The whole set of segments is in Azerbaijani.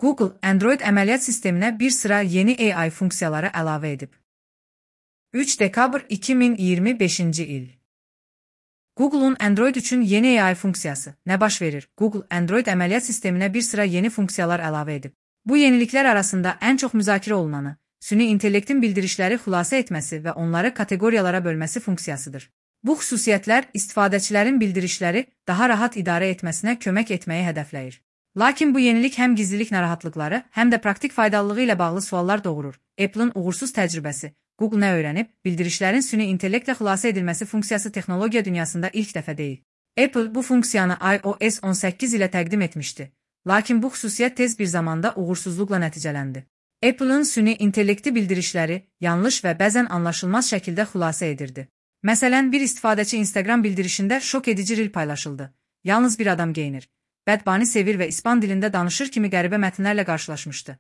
Google, Android əməliyyat sisteminə bir sıra yeni AI funksiyaları əlavə edib. 3 dekabr 2025-ci il. Google'un Android üçün yeni AI funksiyası. Nə baş verir? Google, Android əməliyyat sisteminə bir sıra yeni funksiyalar əlavə edib. Bu yeniliklər arasında ən çox müzakirə olunanı, süni intellektin bildirişləri xülasə etməsi və onları kateqoriyalara bölməsi funksiyasıdır. Bu xüsusiyyətlər istifadəçilərin bildirişləri daha rahat idarə etməsinə kömək etməyi hədəfləyir. Lakin bu yenilik həm gizlilik narahatlıqları, həm də praktik faydalılığı ilə bağlı suallar doğurur. Apple'ın uğursuz təcrübəsi. Google nə öyrənib? Bildirişlərin süni intellektlə xülasə edilməsi funksiyası texnologiya dünyasında ilk dəfə deyil. Apple bu funksiyanı iOS 18 ilə təqdim etmişdi. Lakin bu xüsusiyyət tez bir zamanda uğursuzluqla nəticələndi. Apple'ın süni intellekti bildirişləri yanlış və bəzən anlaşılmaz şəkildə xülasə edirdi. Məsələn, bir istifadəçi Instagram bildirişində şok edici reel paylaşıldı. Yalnız bir adam geyinir, bədbani sevir və İspan dilində danışır kimi qəribə mətnlərlə qarşılaşmışdı.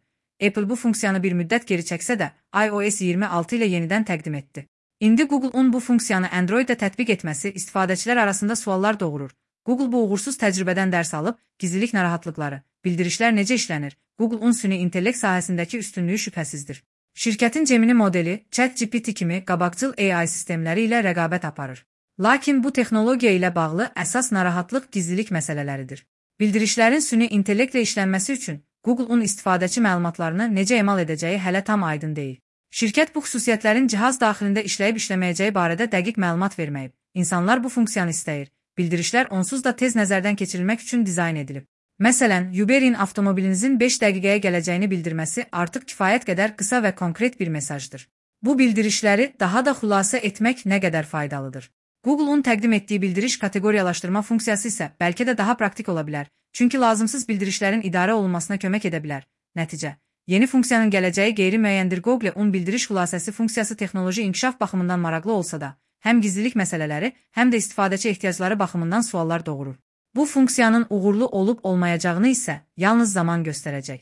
Apple bu funksiyanı bir müddət geri çəksə də, iOS 26 ilə yenidən təqdim etdi. İndi Google'un bu funksiyanı Android-də tətbiq etməsi istifadəçilər arasında suallar doğurur. Google bu uğursuz təcrübədən dərs alıb, gizlilik narahatlıqları, bildirişlər necə işlənir, Google'un süni intellekt sahəsindəki üstünlüyü şübhəsizdir. Şirkətin Gemini modeli, ChatGPT kimi qabaqcıl AI sistemləri ilə rəqabət aparır. Lakin bu texnologiya ilə bağlı əsas narahatlıq gizlilik məsələləridir. Bildirişlərin süni intellektlə işlənməsi üçün Google'un istifadəçi məlumatlarını necə emal edəcəyi hələ tam aydın deyil. Şirkət bu xüsusiyyətlərin cihaz daxilində işləyib-işləməyəcəyi barədə dəqiq məlumat verməyib. İnsanlar bu funksiyanı istəyir. Bildirişlər onsuz da tez nəzərdən keçirilmək üçün dizayn edilib. Məsələn, Uber'in avtomobilinizin 5 dəqiqəyə gələcəyini bildirməsi artıq kifayət qədər qısa və konkret bir mesajdır. Bu bildirişləri daha da xülasə etmək nə qədər faydalıdır. Google'un təqdim etdiyi bildiriş kateqoriyalaşdırma funksiyası isə bəlkə də daha praktik ola bilər, çünki lazımsız bildirişlərin idarə olunmasına kömək edə bilər. Nəticə: yeni funksiyanın gələcəyi qeyri-müəyyəndir. Google-un bildiriş xülasəsi funksiyası texnoloji inkişaf baxımından maraqlı olsa da, həm gizlilik məsələləri, həm də istifadəçi ehtiyacları baxımından suallar doğurur. Bu funksiyanın uğurlu olub-olmayacağını isə yalnız zaman göstərəcək.